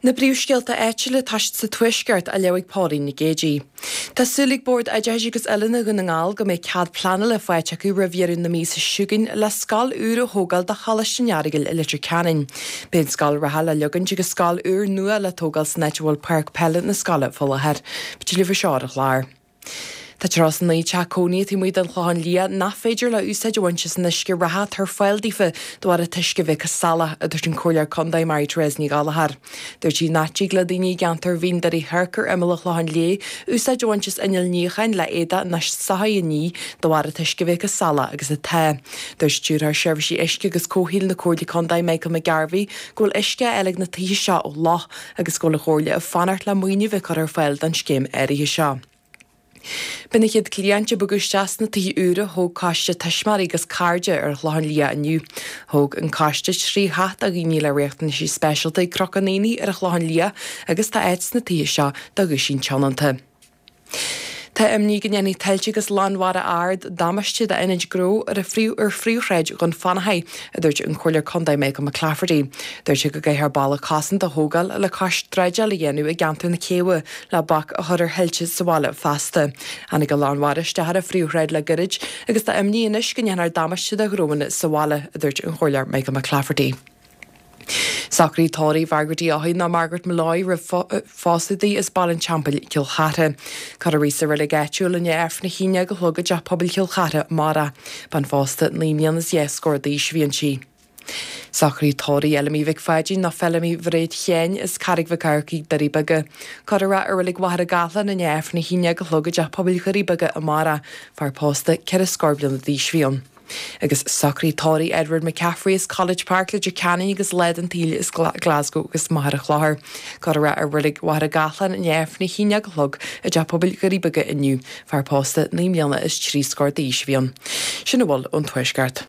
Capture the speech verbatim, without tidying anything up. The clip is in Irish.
Na príomhscéalta áitiúla tá siad sa Tuaisceart á léamh ag Pauline Nic Géadaigh. Tá súil ag Bord Oideachais agus Oiliúna Dhún na nGall go mbeidh cead pleanála faighte acu roimh dheireadh na míosa seo chugainn le scoil úr a thógáil do Choláiste an Earagail i Leitir Ceanainn. Beidh an scoil reatha le leagaint agus scoil úr nua le tógáil san áit a bhfuil páirc peile na scoile faoi láthair. B'tuilleadh faoi seo ar an chlár. Tá tríocha a naoi teach cónaithe taobh amuigh den Chlochán Liath nach féidir leo úsáid a bhaint as an uisce reatha atá ar fáil daofa de bharr an t-uisce bheith chomh salach, a dúirt an Comhairleoir Contae Mary Therese Ní Ghallchóir. Dúirt sí nach dtig le daoine i gceantar Mhín Doire Thoirc ar imeall an Chlocháin Léith úsáid a bhaint as inneall níocháin le éadaí ná soithí a ní de bharr an t-uisce bheith chomh salach agus atá. Dúirt Stiúrthóir Seirbhísí Uisce agus Comhshaoil na Comhairle Contae Michael McGarvey go bhfuil uisce á fháil ag na tithe seo ó loch agus go bhfuil an Chomhairle ag fanacht le maoiniú bheith curtha ar fáil don scéim áirithe seo. Beidh na chéad chliaint ag bogadh isteach sna tithe úra a thóg coiste tuismitheoirí agus cairde ar an Chlochán Liath inniu. Thóg an coiste trí theach do dhaoine le riachtanaisí speisialta ag Cnoc an Aonaigh ar an Chlochán Liath agus tá áit sna tithe seo do dhúisín tionónta. Tá imní go ndéanfaidh tuilte agus lánmhara ard damáiste d'ionaid gnó ar ar phríomhshráid Dhún Fionnachaidh, a dúirt an Comhairleoir Contae Michael McClafferty. Dúirt sé go gcaithfear balla cosanta a thógáil le cois dreideáil a dhéanamh i gceantar na Céibhe le bac a chur ar thuilte sa bhaile feasta. Tháinig an lánmhara isteach ar an phríomhshráid le gairid agus tá imní anois go ndéanfar damáiste do ghnóanna sa bhaile, a dúirt an Comhairleoir Michael McClafferty. Socruithe tórraimh Mhargaret Uí Eochaidh nó Margaret Molloy roimh phósadh di as Baile an Teampaill, Cill Chartha. Cuirfear í sa reilig áitiúil i ndiaidh Aifreann a haon déag a chlog i dteach pobail Chill Chartha amárach. Bean phósta naoi mbliana is dhá scór d'aois a bhí inti. Socruithe tórraimh Fheilimí Mhic Pháidín nó Feilimí Mhairéad Sheáin as Carraig Mhic Eachmharcaigh, Doirí Beaga. Cuirfear í i reilig Mhachaire Gathlán i ndiaidh Aifreann a haon déag a chlog i dteach pobail Dhoirí Beaga amárach. Fear pósta ceithre scór bliana d'aois a bhí ann. Agus socruithe tórraimh Edward McCaffrey as College Park, Leitir Ceanainn agus lá den tsaol as Glasgow agus Machaire Chlochair. Cuirfear é i reilig Mhachaire Gathlán i ndiaidh Aifreann a haon déag a chlog i dteach pobail Dhoirí Beaga inniu. Fear pósta naoi mbliana is trí scór d'aois a bhí ann. Sin a bhfuil ón Tuaisceart.